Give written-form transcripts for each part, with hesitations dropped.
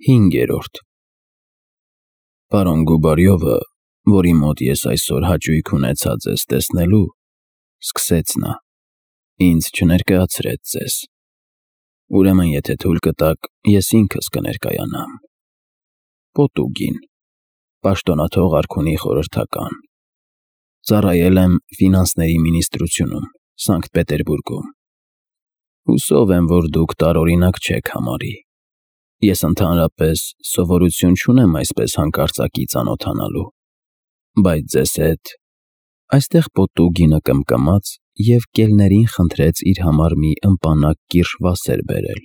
5-րդ Պարոն Գուբարյովը, որի մոտ ես այսօր հաճույք ունեցա ձեզ տեսնելու, սկսեց նա, ինձ չներկայացրեց ձեզ, ուրեմն եթե թույլ կտաք, ես ինքս կներկայանամ, Պոտուգին, պաշտոնաթող արքունի խորհրդական, ծառայել եմ ֆինանսների մինիստրությունում, Սանկտ Պետերբուրգում, հուսով եմ, որ դուք տարօրինակ չեք համարի, ես ընդհանրապես սովորություն չունեմ այսպես հանկարծակի ծանոթանալու, բայց ձեզ հետ, այստեղ Պոտուգինը կմկմաց և կելներին խնդրեց իր համար մի ըմպանակ կիրշ վասեր բերել,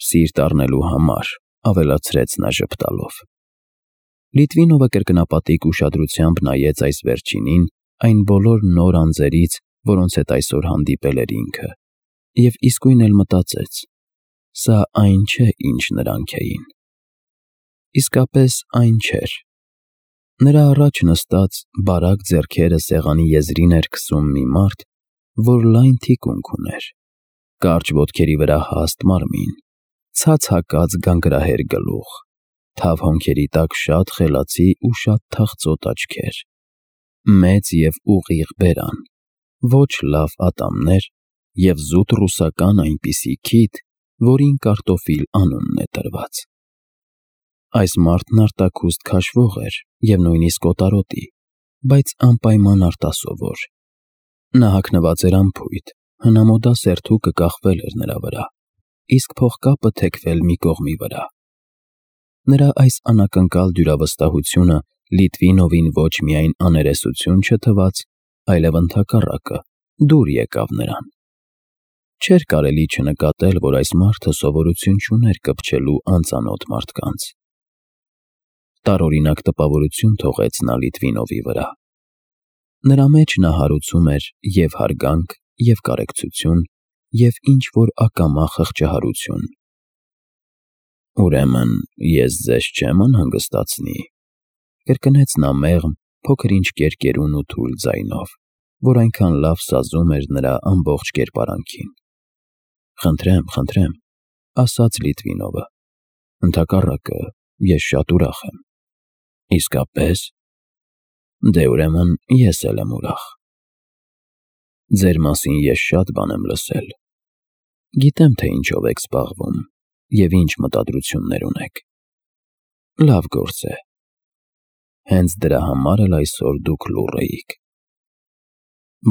սիրտ առնելու համար, ավելացրեց նա ժպտալով, Լիտվինովը կրկնապատիկ ուշադրությամբ նայեց այս վերջինին այն բոլոր նոր անձերից, որոնց հետ այսօր հանդիպել էր ինքը, և իսկույն էլ մտածեց. սա այն չէ, ինչ նրանք էին, իսկապես այն չէր, նրա առաջ նստած բարակ ձեռքերը սեղանի եզրին էր քսում մի մարդ, որ լայն թիկունք ուներ, կարճ ոտքերի վրա հաստ մարմին, ցած հակած գանգրահեր գլուխ, թավ հոնքերի տակ շատ խելացի ու շատ թախծոտ աչքեր, մեծ և ուղիղ բերան, ոչ լավ ատամներ և զուտ ռուսական այնպիսի քիթ, որին կարտոֆիլ անունն է տրված։ Այս մարդն արտաքուստ քաշվող էր և նույնիսկ օտարոտի, բայց անպայման արտասովոր։ Նա հագնված էր անփույթ, հնամոդա սերթուկը կախվել էր նրա վրա, իսկ փողկապը թեքվել մի կողմի վրա։ Նրա այս անակնկալ դյուրավստահությունը Լիտվինովին ոչ միայն աներեսություն չթվաց, այլև ընդհակառակը, դուր եկավ նրան։ Չէր կարելի չնկատել, որ այս մարդը սովորություն չուներ կպչելու անծանոթ մարդկանց։ Տարօրինակ տպավորություն թողեց նա Լիտվինովի վրա։ Նրա մեջ նա հարուցում էր և հարգանք, և կարեկցություն, և ինչ-որ ակամա խղճահարություն։ Ուրեմն ես ձեզ չեմ անհանգստացնի, կրկնեց նա մեղմ, փոքր-ինչ կերկերուն ու թույլ ձայնով, որ այնքան լավ սազում էր նրա ամբողջ կերպարանքին։ Խնդրեմ, ասաց Լիտվինովը, ընդհակառակը, ես շատ ուրախ եմ։ Իսկապե՞ս։ Դե ուրեմն ես էլ եմ ուրախ։ Ձեր մասին ես շատ բան եմ լսել։ Գիտեմ, թե ինչով եք զբաղվում և ինչ մտադրություններ ունեք։ Լավ գործ է։ Հենց դրա համար էլ այսօր դուք լուռ էիք։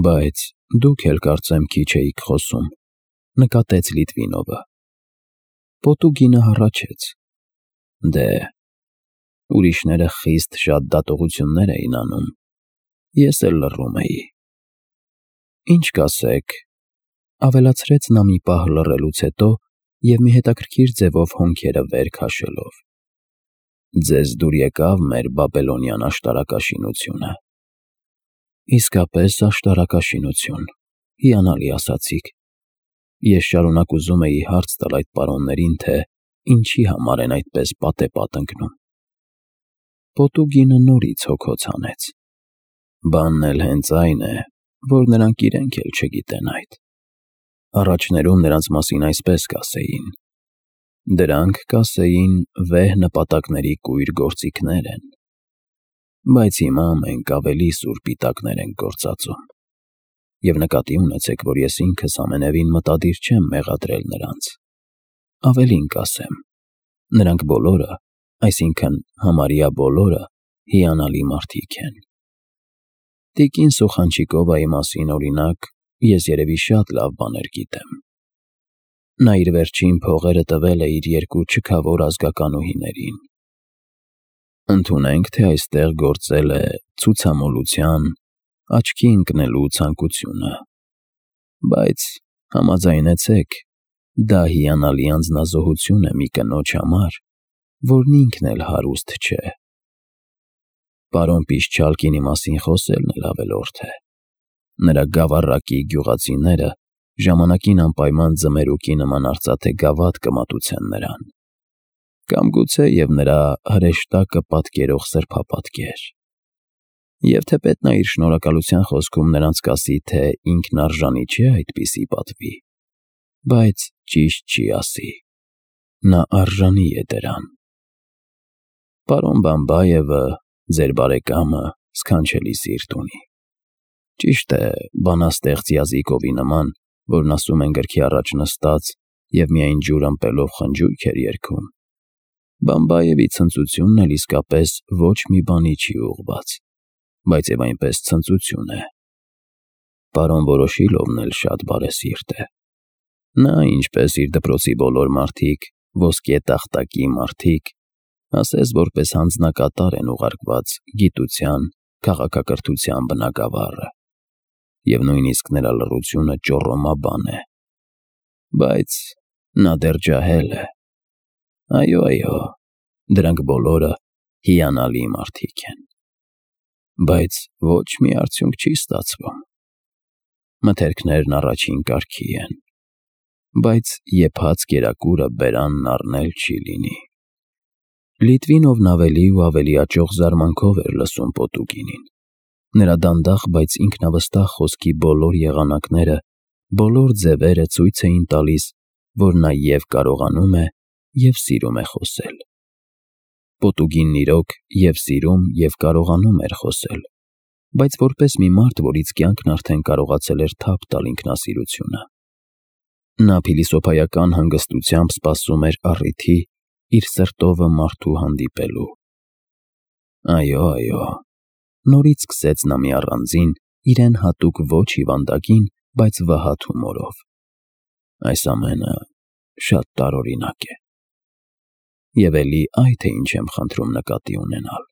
Բայց դուք էլ կարծեմ քիչ էիք խոսում, նկատեց Լիտվինովը։ Պոտուգինը հառաչեց. Դե, ուրիշները խիստ շատ դատողություններ էին անում, ես էլ լռում էի։ Ինչ կասեք, ավելացրեց նա մի պահ լռելուց հետո և մի հետաքրքիր ձևով հոնքերը վեր քաշելով. Ձեզ դուր եկավ մեր բաբելոնյան աշտարակաշինությունը։ Իսկապես աշտարակաշինություն, հիանալի ասացիք։ Ես շարունակ ուզում էի հարց տալ այդ պարոններին, թե ինչի համար են այդպես պատեպատ ընկնում։ Պոտուգինը նորից հոգոց հանեց։ Բանն էլ հենց այն է, որ նրանք իրենք էլ չգիտեն այդ։ Առաջներում նրանց մասին այսպես կասեին. դրանք, կասեին, վեհ նպատակների կույր գործիքներ են։ Բայց հիմա մենք ավելի սուր պիտակներ ենք գործածում։ Եվ նկատի ունեցեք, որ ես ինքս ամենևին մտադիր չեմ մեղադրել նրանց։ Ավելին կասեմ, նրանք բոլորը, այսինքն համարյա բոլորը, հիանալի մարդիկ են։ Տիկին Սուխանչիկովայի մասին, օրինակ, ես երևի շատ լավ բաներ գիտեմ։ Նա իր վերջին փողերը տվել է իր երկու չքավոր ազգականուհիներին։ Ընդունենք, թե այստեղ գործել է ցուցամոլության, աչքի ընկնելու ցանկությունը։ Բայց համաձայնեցեք, դա հիանալի անձնազոհություն է մի կնոջ համար, որն ինքն էլ հարուստ չէ։ Պարոն Պիշչալկինի մասին խոսելն էլ ավելորդ է։ Նրա գավառակի գյուղացիները ժամանակին անպայման ձմերուկի նման արծաթե գավաթ կմատուցեն նրան։ Կամ գուցե և նրա հրեշտակը պատկերող սրբապատկեր։ Եվ թեպետ նա իր շնորհակալության խոսքում նրանց կասի, թե ինքն արժանի չէ այդպիսի պատվի, բայց ճիշտ չի ասի։ նա արժանի է դրան։ Պարոն Բամբայևը, ձեր բարեկամը, սքանչելի սիրտ ունի։ Ճիշտ է, բանաստեղծ Յազիկովի նման, որն ասում են գրքի առաջ նստած և միայն ջուր ըմպելով խնջույք էր երգում, Բամբայևի ցնծությունն էլ իսկապես ոչ մի բանի չի ուղղված, բայց և այնպես ցնծություն է։ Պարոն Վորոշիլովն էլ շատ բարեսիրտ է։ Նա, ինչպես իր դպրոցի բոլոր մարդիկ, ոսկե տախտակի մարդիկ, ասես որպես հանձնակատար են ուղարկված գիտության, քաղաքակրթության բնագավառը, և նույնիսկ նրա լռությունը ճոռոմաբան է։ Բայց նա դեռ ջահել է։ Այո, դրանք բոլորը հիանալի մարդիկ են։ Բայց ոչ մի արդյունք չի ստացվում։ Մթերքներն առաջին կարգի են, բայց եփած կերակուրը բերանն առնել չի լինի։ Լիտվինովն ավելի ու ավելի աճող զարմանքով էր լսում Պոտուկինին։ Նրա դանդաղ, բայց ինքնավստահ խոսքի բոլոր եղանակները, բոլոր ձևերը ցույց էին տալիս, որ նա և կարողանում է, և սիրում է խոսել։ Պոտուկինն իրոք և սիրում, և կարողանում էր խոսել, բայց որպես մի մարդ, որից կյանքն արդեն կարողացել էր թափ տալ ինքնասիրությունը։ Նա փիլիսոփայական հանգստությամբ սպասում էր առիթի իր սրտովը մարդու հանդիպելու։ Այո, նորից սկսեց նա մի առանձին, իրեն հատուկ ոչ հիվանդագին, բայց վհատ հումորով։ Այս ամենը շատ տարօրինակ է։ Եվ էլի այ թե ինչ եմ խնդրում նկատի ունենալ։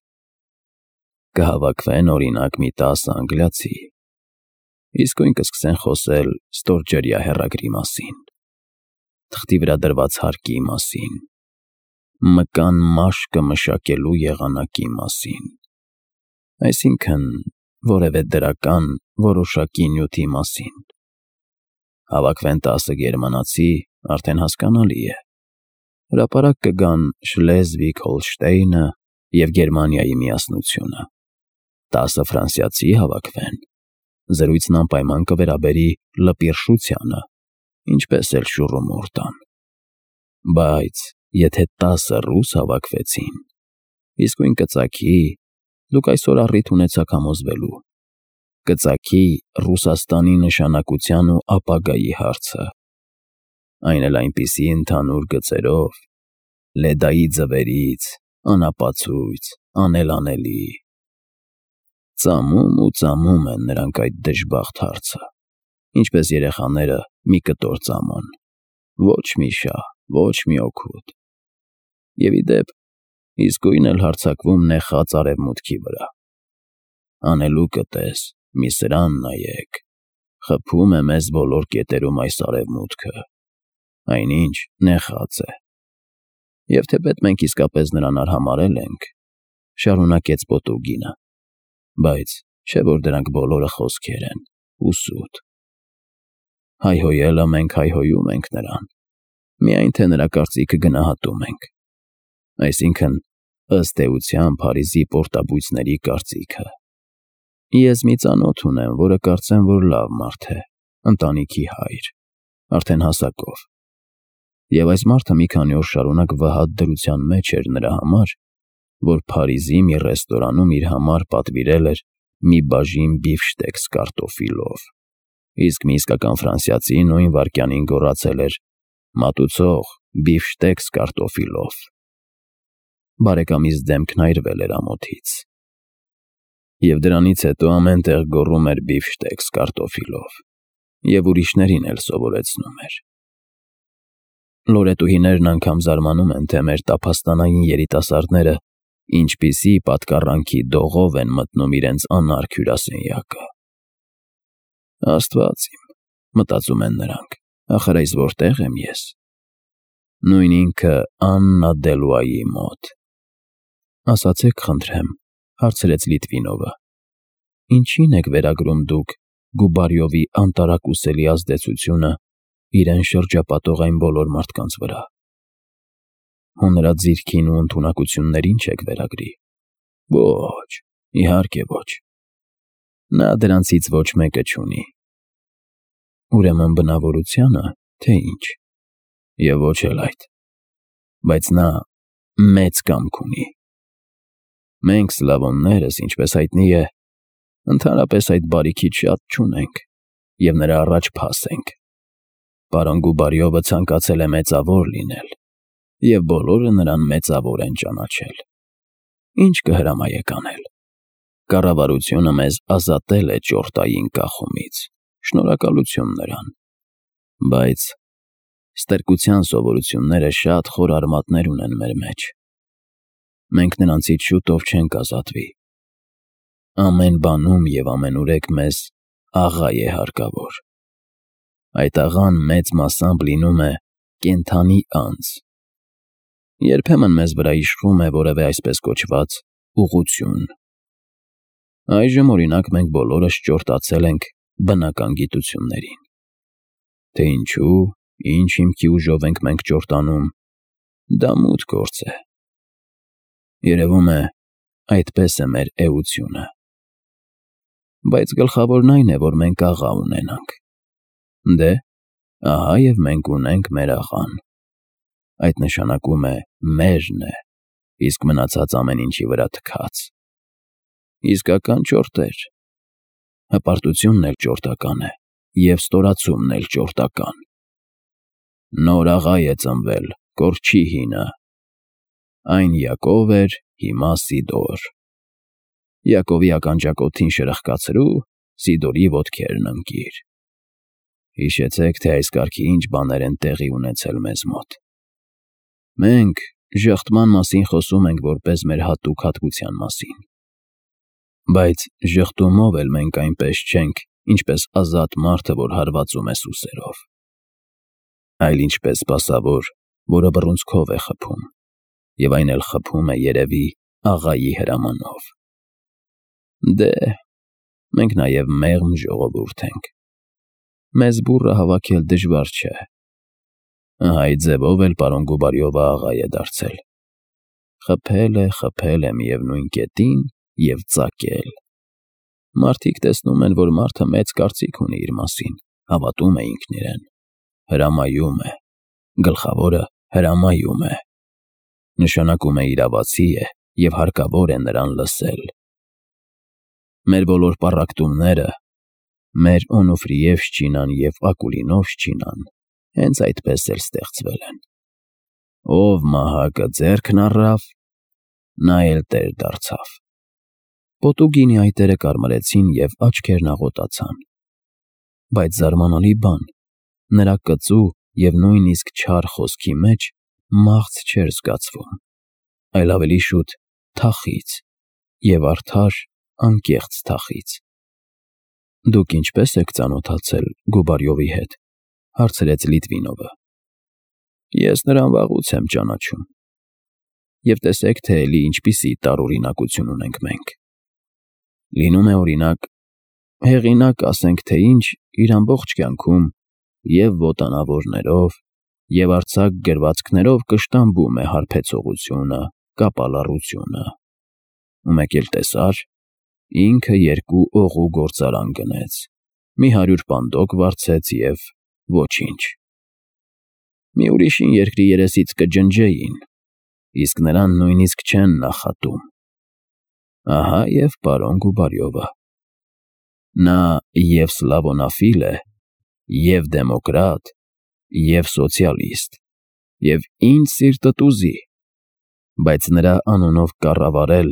Կհավաքվեն, օրինակ, մի 10 անգլիացի, իսկույն կսկսեն խոսել ստորջրյա հեռագրի մասին, թղթի վրա դրված հարկի մասին, մկան մաշկը մշակելու եղանակի մասին, այսինքն՝ որևէ դրական, որոշակի նյութի մասին։ Հավաքվեն 10 գերմանացի, արդեն հասկանալի է։ Հրապարակ կգան Շլեզվիգ-Հոլշտեյնը և Գերմանիայի միասնությունը։ 10 ֆրանսիացի հավաքվեն, զրույցն անպայման կվերաբերի լպիրշությանը, ինչպես էլ շուռումուռ տան։ Բայց եթե 10 ռուս հավաքվեցին, իսկույն կծագի, դուք այսօր առիթ ունեցաք համոզվելու, կծագի Ռուսաստանի նշանակության ու ապագայի հարցը, այն էլ այնպիսի ընդհանուր գծերով, Լեդայի ձվերից, անապացույց, անելանելի։ Ծամում ու ծամում են նրանք այդ դժբախտ հարցը, ինչպես երեխաները մի կտոր ծամոն, ոչ մի շահ, ոչ մի օգուտ։ Եվ ի դեպ, իսկույն էլ հարձակվում նեխած արևմուտքի վրա։ Անելուկը տես, մի սրան նայեք, խփում է մեզ բոլոր կետերում այս արևմուտքը, այնինչ նեխած է։ Եվ թեպետ մենք իսկապես նրան արհամարհել ենք, շարունակեց Պոտուկինը, բայց չէ՞ որ դրանք բոլորը խոսքեր են ու սուտ։ Հայհոյելը մենք հայհոյում ենք նրան, միայն թե նրա կարծիքը գնահատում ենք, այսինքն՝ ըստ էության Փարիզի պորտաբույծների կարծիքը։ Ես մի ծանոթ ունեմ, որը կարծեմ, որ լավ մարդ է, ընտանիքի հայր, արդեն հասակով։ Եվ այս մարդը մի քանի օր շարունակ վհատ դրության մեջ էր նրա համար, որ Փարիզի մի ռեստորանում իր համար պատվիրել էր մի բաժին բիֆշտեքս կարտոֆիլով, իսկ մի իսկական ֆրանսիացի նույն վայրկյանին գոռացել էր. «Մատուցող, բիֆշտեքս կարտոֆիլով»։ Բարեկամիս դեմքն այրվել էր ամոթից։ Եվ դրանից հետո ամեն տեղ գոռում էր բիֆշտեքս կարտոֆիլով, և ուրիշներին էլ սովորեցնում էր։ Լորետուհիներն անգամ զարմանում են, թե մեր տափաստանային երիտասարդները ինչպիսի պատկառանքի դողով են մտնում իրենց անարգ հյուրասենյակը։ Աստված իմ, մտածում են նրանք, ախր այս որտե՞ղ եմ ես։ Նույն ինքը Աննա Դելուայի մոտ։ Ասացեք խնդրեմ, հարցրեց Լիտվինովը, ինչի՞ն եք վերագրում դուք Գուբարյովի անտարակուսելի ազդեցությունը իրեն շրջապատող այն բոլոր մարդկանց վրա։ Հո նրա ձիրքին ու ընդունակություններին չեք վերագրի։ Ոչ, իհարկե ոչ։ Նա դրանցից ոչ մեկը չունի։ Ուրեմն բնավորությանը, թե ինչ։ Եվ ոչ էլ այդ։ բայց նա մեծ կամք ունի։ Մենք սլավոններս, ինչպես հայտնի է, ընդհանրապես այդ բարիքից շատ չունենք և նրա առաջ փաս ենք։ Պարոն Գուբարյովը ցանկացել է մեծավոր լինել, և բոլորը նրան մեծավոր են ճանաչել։ Ինչ կհրամայեք անել։ Կառավարությունը մեզ ազատել է ճորտային կախումից, շնորհակալություն նրան, բայց ստրկության սովորությունները շատ խոր արմատներ ունեն մեր մեջ։ Մենք նրանցից շուտով չենք ազատվի։ Ամեն բանում և ամենուրեք մեզ աղա է հարկավոր։ Այդ աղան մեծ մասամբ լինում է կենդանի անձ։ Երբեմն մեզ վրա իշխում է որևէ այսպես կոչված ուղղություն։ Այժմ, օրինակ, մենք բոլորս ճորտացել ենք բնական գիտություններին։ Թե ինչու, ինչ հիմքի ուժով ենք մենք ճորտանում, դա մութ գործ է։ Երևում է, այդպես է մեր էությունը։ Բայց գլխավորն այն է, որ մենք աղա ունենանք։ Դե, ահա և մենք ունենք մեր աղան։ Այդ նշանակում է մերն է, իսկ մնացած ամեն ինչի վրա թքած։ Իսկական ճորտեր։ Հպարտությունն էլ ճորտական է, և ստորացումն էլ ճորտական։ Նոր աղա է ծնվել, կորչի հինը։ Այն Յակով էր, հիմա Սիդոր։ Յակովի ականջակոթին շրխկացրու, Սիդորի ոտքերն ընկիր։ Հիշեցեք, թե այս կարգի ինչ բաներ են տեղի ունեցել մեզ մոտ։ Մենք ժխտման մասին խոսում ենք որպես մեր հատուկ հատկության մասին։ Բայց ժխտումով էլ մենք այնպես չենք, ինչպես ազատ մարդը, որ հարվածում է սուսերով, այլ ինչպես սպասավոր, որը բռունցքով է խփում, և այն էլ խփում է, երևի, աղայի հրամանով։ Դե, մենք նաև մեղմ ժողովուրդ ենք։ Մեզ բուռը հավաքել դժվար չէ։ Ահա այդ ձևով էլ պարոն Գուբարյովը աղա է դարձել։ Խփել է միևնույն կետին և ծակել։ Մարդիկ տեսնում են, որ մարդը մեծ կարծիք ունի իր մասին, հավատում է ինքն իրեն, հրամայում է, գլխավորը հրամայում է։ Նշանակում է իրավացի է և հարկավոր է նրան լսել։ Մեր բոլոր պառակտումները, մեր Օնուֆրիևշչինան և Ակուլինովշչինան հենց այդպես էլ ստեղծվել են։ Ով մահակը ձեռքն առավ, նա էլ տեր դարձավ։ Պոտուգինի այտերը կարմրեցին և աչքերն աղոտացան։ Բայց զարմանալի բան, նրա կծու և նույնիսկ չար խոսքի մեջ մաղթ չէր զգացվում, այլ ավելի շուտ թախիծ և արդար, անկեղծ թախիծ։ Դուք ինչպե՞ս եք ծանոթացել Գուբարյովի հետ, հարցրեց Լիտվինովը։ Ես նրան վաղուց եմ ճանաչում։ Եվ տեսեք, թե էլի ինչպիսի տարօրինակություն ունենք մենք։ Լինում է, օրինակ, հեղինակ, ասենք թե ինչ, իր ամբողջ կյանքում և ոտանավորներով, և արձակ գրվածքներով կշտամբում է հարբեցողությունը, կապալառությունը։ Ու մեկ էլ տեսար, ինքը 2 օղու գործարան գնեց, մի 100 պանդոկ վարձեց և ոչինչ։ Մի ուրիշին երկրի երեսից կջնջեին, իսկ նրան նույնիսկ չեն նախատում։ Ահա և պարոն Գուբարյովը։ Նա և սլավոնաֆիլ է, և դեմոկրատ, և սոցիալիստ, և ինչ սիրտդ ուզի, բայց նրա անունով կառավարել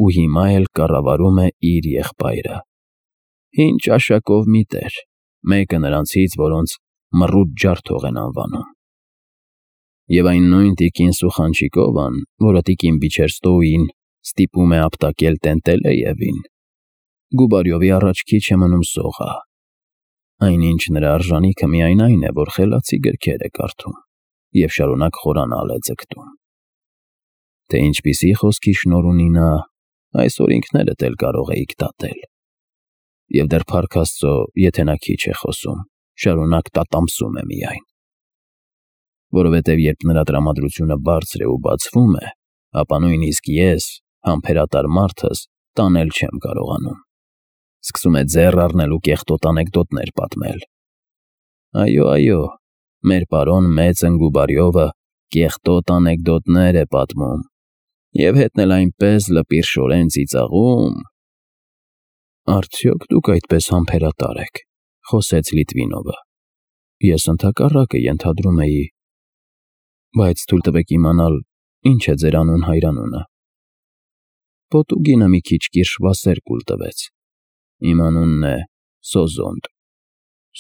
ու հիմա էլ կառավարում է իր եղբայրը։ Հին ճաշակով մի տեր, մեկը նրանցից, որոնց մռութ ջարդող են անվանում։ Եվ այն նույն տիկին Սուխանչիկովան, որը տիկին Բիչերստոուին ստիպում է ապտակել Տենտելեևին, Գուբարյովի առաջքի չէ մնում սողա։ Այնինչ նրա արժանիքը միայն այն է, որ խելացի գրքեր է կարդում և շարունակ խորանալ է ձգտում։ Թե ինչպիսի խոսքի շնորհ ունի նա, այսօր ինքներդ էլ կարող էիք դատել։ Եվ դեռ փառք Աստծո, եթե նա քիչ է խոսում, շարունակ տատամսում է միայն։ Որովհետև երբ նրա տրամադրությունը բարձր է ու բացվում է, ապա նույնիսկ ես, համբերատար մարդս, տանել չեմ կարողանում։ Սկսում է ձեռ առնել ու կեղտոտ անեկդոտներ պատմել։ Այո, մեր պարոն մեծն Գուբարյովը կեղտոտ անեկդոտներ է պատմում, և հետն էլ այնպես լպիրշորեն ծիծաղում։ Արդյոք դուք այդպես համբերատար եք, խոսեց Լիտվինովը։ Ես ընդհակառակը ենթադրում էի, բայց թույլ տվեք իմանալ, ինչ է ձեր անուն-հայրանունը։ Պոտուգինը մի քիչ կիրշվասեր կուլ տվեց։ Իմ անունն է Սոզոնդ,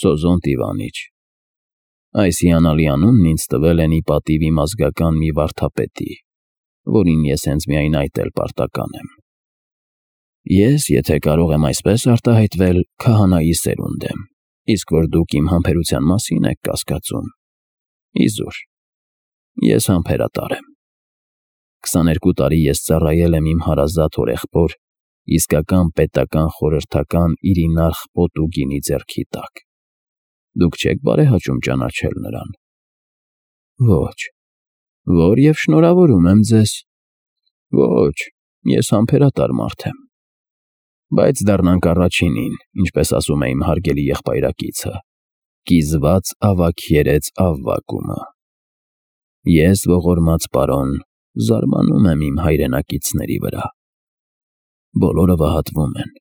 Սոզոնդ Իվանիչ։ Այս հիանալի անունն ինձ տվել են ի պատիվ իմ ազգական մի վարդապետի, որին ես հենց միայն այդ էլ պարտական եմ։ Ես, եթե կարող եմ այսպես արտահայտվել, քահանայի սերունդ եմ, իսկ որ դուք իմ համբերության մասին եք կասկածում, իզուր, ես համբերատար եմ։ 22 տարի ես ծառայել եմ իմ հարազատ հորեղբոր, իսկական պետական խորհրդական Իրինարխ Պոտուգինի ձեռքի տակ։ Դուք չեք բարեհաճում ճանաչել նրան։ Ոչ, որ և շնորհավորում եմ ձեզ։ Ոչ, ես համբերատար մարդ եմ։ Բայց դառնանք առաջինին, ինչպես ասում է իմ հարգելի եղբայրակիցը, կիզված ավագ երեց ավվակումը։ Ես, ողորմած պարոն, զարմանում եմ իմ հայրենակիցների վրա։ Բոլորը վհատվում են,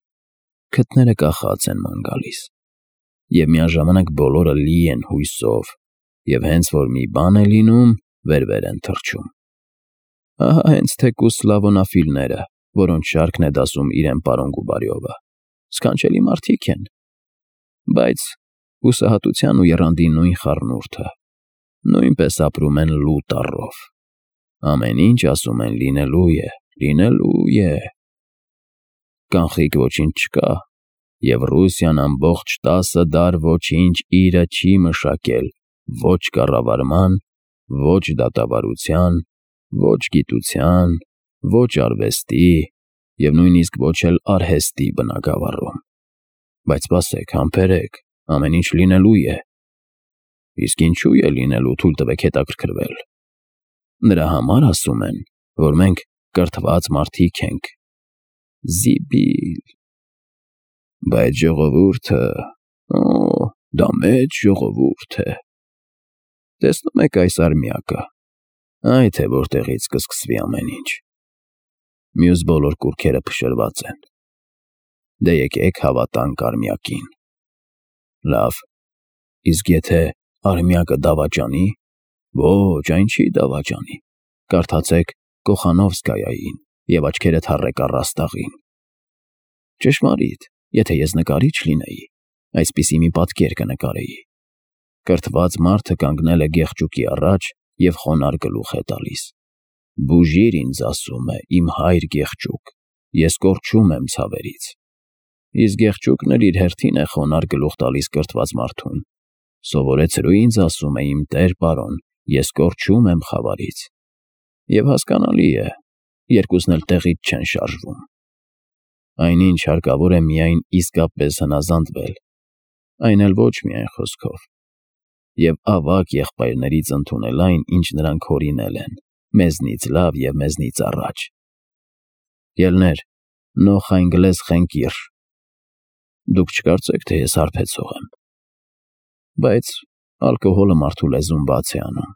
քթները կախած են ման գալիս, և միաժամանակ բոլորը լի են հույսով, և հենց որ մի բան է լինում, վեր են թռչում։ Ահա հենց թեկուզ Սլավոնաֆիլները, որոնց շարքն է դասում իրեն պարոն Գուբարյովը, սքանչելի մարդիկ են, բայց հուսահատության ու եռանդի նույն խառնուրդը, նույնպես ապրում են լու տառով։ Ամեն ինչ ասում են լինելու է, լինելու է։ Կանխիկ ոչինչ չկա, և Ռուսիան ամբողջ 10 դար ոչինչ իրը չի մշակել ոչ կառավարման, ոչ դատավարության, ոչ գիտության, ոչ արվեստի և նույնիսկ ոչ էլ արհեստի բնագավառում։ Բայց սպասեք, համբերեք, ամեն ինչ լինելու է։ Իսկ ինչու է լինելու, թույլ տվեք հետաքրքրվել։ Նրա համար ասում են, որ մենք կրթված մարդիկ ենք։ Զիբիլ։ Բայց ժողովուրդը, դա մեծ ժողովուրդ է։ Տեսնում եք այս արմյակը, այ թե որտեղից կսկսվի ամեն ինչ։ Մյուս բոլոր կուռքերը փշրված են։ Դե եկեք հավատանք արմյակին։ Լավ, իսկ եթե արմյակը դավաճանի։ Ոչ, այն չի դավաճանի։ Կարդացեք Կոխանովսկայային և աչքերդ հառեք առաստաղին։ Ճշմարիտ, եթե ես նկարիչ լինեի, այսպիսի մի պատկեր կնկարեի։ Կրթված մարդը կանգնել է գեղջուկի առաջ և խոնարհ գլուխ է տալիս։ Բուժիր ինձ, ասում է, իմ հայր գեղջուկ, ես կորչում եմ ցավերից։ Իսկ գեղջուկն էլ իր հերթին է խոնարհ գլուխ տալիս կրթված մարդուն։ Սովորեցրու ինձ, ասում է, իմ տեր պարոն, ես կորչում եմ խավարից։ Եվ հասկանալի է, երկուսն էլ տեղից չեն շարժվում։ Այնինչ հարկավոր է միայն իսկապես հնազանդվել, այն էլ ոչ միայն խոսքով, և ավագ եղբայրներից ընդունել այն, ինչ նրանք հորինել են, մեզնից լավ և մեզնից առաջ։ Ելներ, նոխ այնգլես խենկիր։ Դուք չկարծեք, թե ես հարբեցող եմ։ Բայց ալկոհոլը մարդու լեզուն բաց է անում։